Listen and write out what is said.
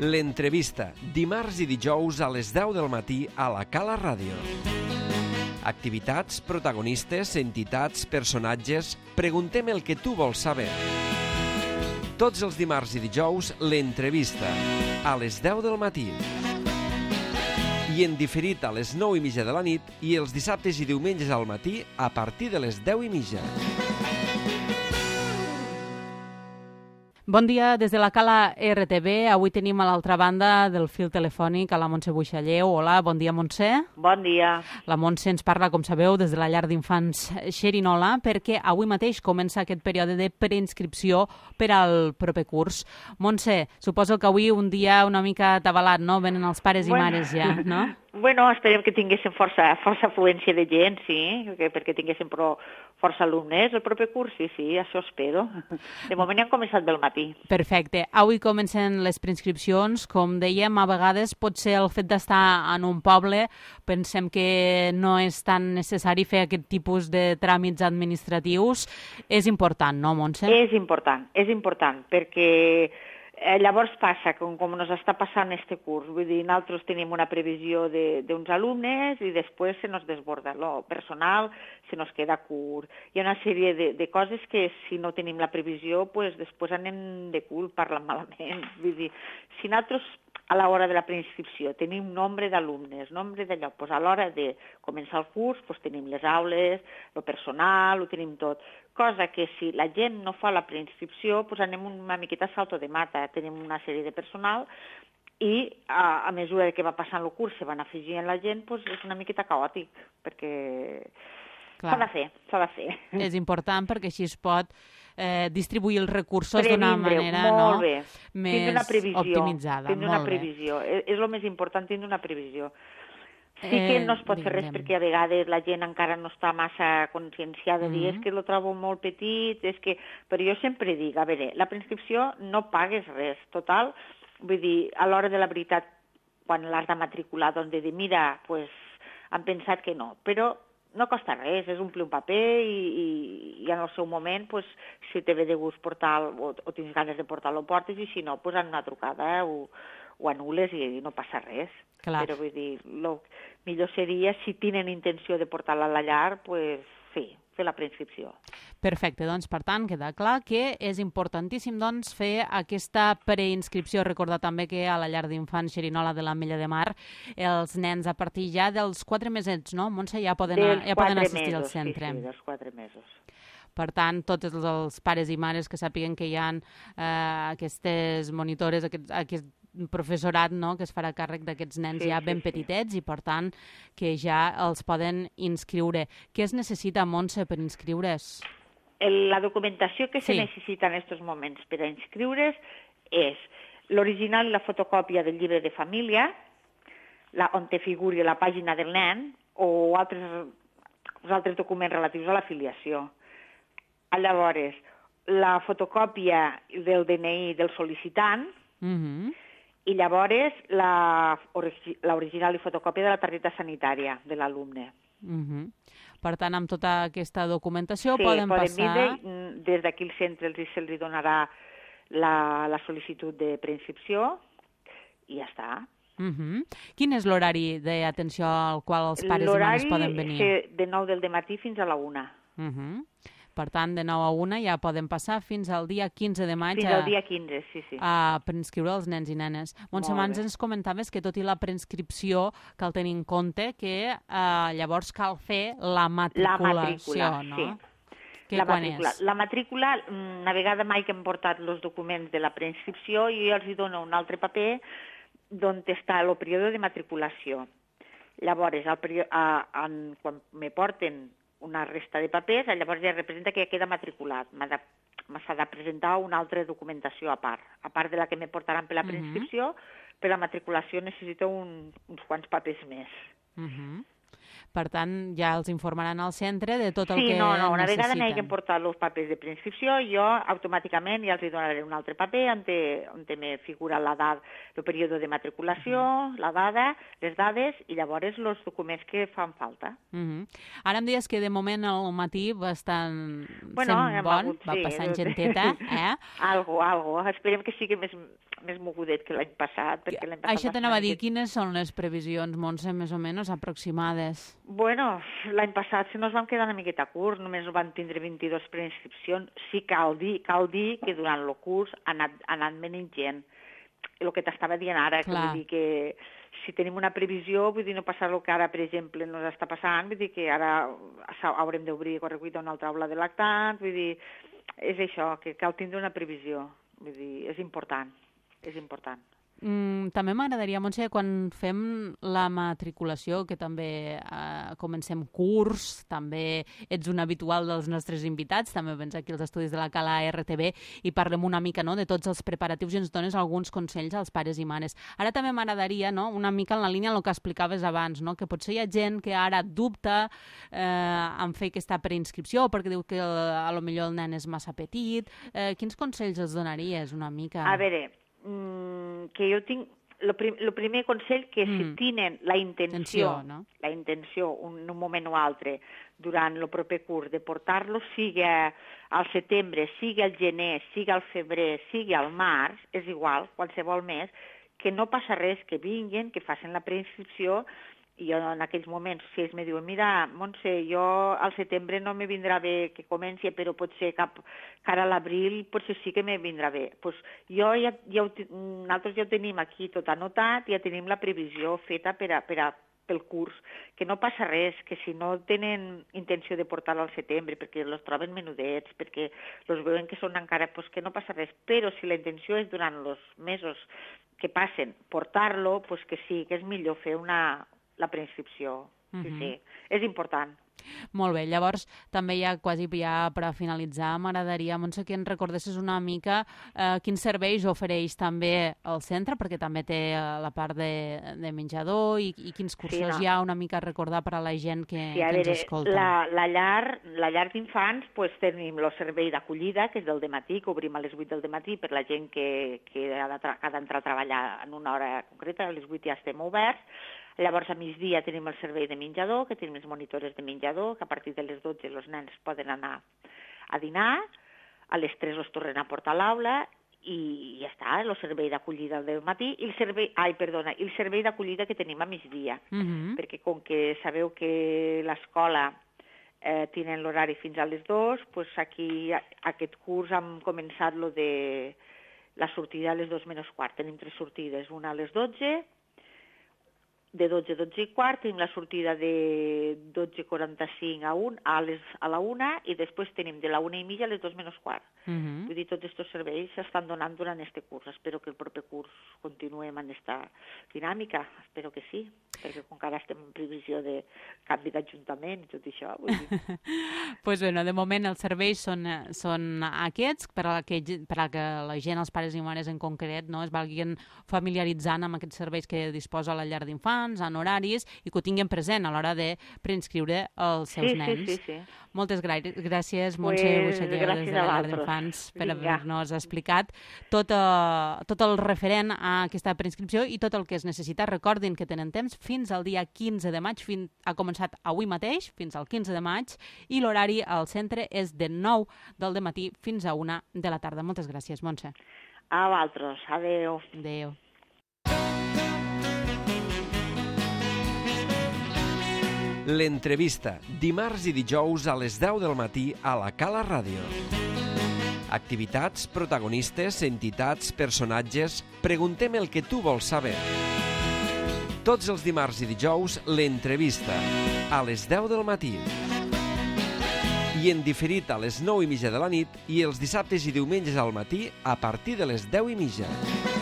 L'entrevista, dimarts i dijous a les 10 del matí a la Cala Ràdio. Activitats, protagonistes, entitats, personatges... Preguntem el que tu vols saber. Tots els dimarts i dijous, l'entrevista, a les 10 del matí. I en diferit a les 9:30 de la nit i els dissabtes i diumenges al matí a partir de les 10:30. Bon dia des de la Cala RTV. Avui tenim a l'altra banda del fil telefònic a la Montse Buixalleu. Hola, bon dia, Montse. Bon dia. La Montse ens parla, com sabeu, des de la llar d'infants Xerinola, perquè avui mateix comença aquest període de preinscripció per al proper curs. Montse, suposo que avui un dia una mica atabalat, no? Venen els pares i mares ja, no? Bueno, esperem que tinguéssim força afluència de gent, sí, perquè tinguéssim força alumnes el proper curs, sí, això espero. De moment hem començat del matí. Perfecte. Avui comencen les preinscripcions. Com dèiem, a vegades pot ser el fet d'estar en un poble. Pensem que no és tan necessari fer aquest tipus de tràmits administratius. És important, no, Montse? És important, perquè llavors passa, com ens està passant este curs, vull dir, nosaltres tenim una previsió d'uns alumnes i després se nos desborda el personal, se nos queda curt. Hi ha una sèrie de coses que si no tenim la previsió, pues, després anem de cul, parlant malament. Vull dir, si nosaltres a l'hora de la preinscripció tenim nombre d'alumnes, nombre d'allò, pues a l'hora de començar el curs pues tenim les aules, el personal, ho tenim tot. Cosa que si la gent no fa la preinscripció, pues anem una miqueta a salto de mata, tenim una sèrie de personal i a mesura que va passant el curs se van afegint la gent, pues és una miqueta caòtic, perquè s'ha de fer. És important perquè així es pot distribuir els recursos d'una manera més optimitzada. Tindre una previsió. És el més important, tindre una previsió. Sí que no es pot fer res perquè a vegades la gent encara no està massa conscienciada de dir és que lo trobo molt petit, però jo sempre dic, a veure, la preinscripció no pagues res, total, vull dir, a l'hora de la veritat, quan l'has de matricular, doncs de dir, mira, pues, han pensat que no, però no costa res, és omplir un paper i en el seu moment, pues, si te ve de gust portar o tens ganes de portar-lo, portes, i si no, pues, en una trucada ho anules i no passa res. Clar. Però vull dir, el millor seria, si tenen intenció de portar-la a la llar, pues, sí, fer la preinscripció. Perfecte, doncs per tant queda clar que és importantíssim doncs, fer aquesta preinscripció. Recordar també que a la llar d'infants Xerinola de l'Ametlla de Mar els nens a partir ja dels 4 mesets, no, Montse, ja poden assistir al centre. Sí, dels 4 mesos. Per tant, tots els pares i mares que sàpiguen que hi ha aquestes monitores, aquest professorat, no?, que es farà càrrec d'aquests nens ben petitets i, per tant, que ja els poden inscriure. Què es necessita, Montse, per inscriure's? La documentació que se necessita en aquests moments per a inscriure's és l'original i la fotocòpia del llibre de família, on te figuri la pàgina del nen o altres documents relatius a l'afiliació. Llavors, la fotocòpia del DNI del sol·licitant i llavors l'original i fotocòpia de la targeta sanitària de l'alumne. Per tant, amb tota aquesta documentació poden passar... Des d'aquí al centre se'ls donarà la sol·licitud de preinscripció i ja està. Quin és l'horari d'atenció al qual els pares i mares poden venir? L'horari és de 9 del dematí fins a la 1. Per tant, de 9 a 1 ja poden passar fins al dia 15 de maig a preinscriure els nens i nenes. Montse, abans ens comentaves que tot i la preinscripció cal tenir en compte que llavors cal fer la matriculació, no? Sí. La matrícula, una vegada mai que hem portat els documents de la preinscripció, jo els dono un altre paper on està el període de matriculació. Llavors, quan me porten una resta de papers, llavors ja representa que ja queda matriculat. S'ha de presentar una altra documentació a part de la que me portaran per la preinscripció, per la matriculació necessito uns quants papers més. Per tant, ja els informaran al centre de tot el que Sí, no, una vegada necessiten. m'hagin portat els papers de preinscripció, jo automàticament ja els donaré un altre paper on me figura l'edat, el període de matriculació, la dada, les dades i llavors els documents que fan falta. Ara em deies que de moment al matí va estant Bueno, sent bon, va passant genteta, eh? Algo. Esperem que sigui més mogudet que l'any passat. Perquè l'any passat Això t'anava a dir, quines són les previsions, Montse, més o menys aproximades? Bueno, l'any passat se nos vam quedar una miqueta curt, només van tindre 22 preinscripcions. Sí, cal dir que durant el curs ha anat menys gent. El que t'estava dient ara, que vull dir que si tenim una previsió, vull dir, no passar el que ara, per exemple, ens està passant, vull dir que ara haurem d'obrir correcuita una altra aula de lactants, vull dir, és això, que cal tindre una previsió, vull dir, és important. També m'agradaria, Montse, quan fem la matriculació, que també comencem curs, també ets un habitual dels nostres invitats, també vens aquí als estudis de la Cala RTV i parlem una mica de tots els preparatius i ens dones alguns consells als pares i mares. Ara també m'agradaria, una mica en la línia del que explicaves abans, que potser hi ha gent que ara dubta en fer aquesta preinscripció perquè diu que potser el nen és massa petit. Quins consells els donaries una mica? A veure, que jo tinc el primer consell que si tenen la intenció un moment o altre durant el proper curs de portar-lo, sigui al setembre, sigui al gener, sigui al febrer, sigui al març, és igual, qualsevol mes, que no passa res, que vinguin, que facin la preinscripció. I jo en aquells moments, si ells me diuen, mira, Montse, jo al setembre no me vindrà bé que comenci, però potser cara a l'abril potser sí que me vindrà bé. Pues nosaltres ja ho tenim aquí tot anotat, ja tenim la previsió feta pel curs, que no passa res, que si no tenen intenció de portar-lo al setembre, perquè els troben menudets, perquè els veuen que són encara, pues que no passa res, però si la intenció és durant els mesos que passen portar-lo, pues que sí, que és millor fer la preinscripció. Sí, és important. Molt bé, llavors també quasi per finalitzar m'agradaria, Montse, que ens recordessis una mica quins serveis ofereix també el centre, perquè també té la part de menjador i quins cursos hi ha una mica a recordar per a la gent que ens escolta. La llar d'infants tenim el servei d'acollida, que és del dematí, que obrim a les 8 del dematí per la gent que ha d'entrar a treballar en una hora concreta, a les 8 ja estem oberts. Llavors, a migdia tenim el servei de menjador, que tenim les monitores de menjador, que a partir de les 12 els nens poden anar a dinar, a les 3 els tornen a portar a l'aula i ja està, el servei d'acollida del matí i el servei d'acollida que tenim a migdia, perquè com que sabeu que l'escola tenen l'horari fins a les 2, doncs aquí aquest curs hem començat la sortida a les 2 menys quart. Tenim 3 sortides, una a les 12, de 12 a 12 i quart, tenim la sortida de 12:45 a la 1 i després tenim de la 1:30 a les 2 menys quart. Vull dir, tots aquests serveis s'estan donant durant aquest curs. Espero que el proper curs continuem en aquesta dinàmica. Espero que sí, perquè com que ara estem en previsió de canvi d'Ajuntament i tot això. Doncs bé, de moment els serveis són aquests, per a que la gent, els pares i mares en concret, es valguin familiaritzant amb aquests serveis que disposa la llar d'infants, en horaris, i que ho tinguin present a l'hora de preinscriure els seus nens. Sí. Moltes gràcies, Montse Buixalleu, des de la llar d'infants, per haver-nos explicat tot el referent a aquesta preinscripció i tot el que es necessita. Recordin que tenen temps fins al dia 15 de maig, ha començat avui mateix, fins al 15 de maig, i l'horari al centre és de 9 del dematí fins a 1 de la tarda. Moltes gràcies, Montse. A vosaltres. Adéu. Adéu. L'entrevista, dimarts i dijous a les 10 del matí a la Cala Ràdio. Activitats, protagonistes, entitats, personatges... Preguntem el que tu vols saber. Tots els dimarts i dijous, l'entrevista, a les 10 del matí. I en diferit a les 9:30 de la nit i els dissabtes i diumenges al matí a partir de les 10:30.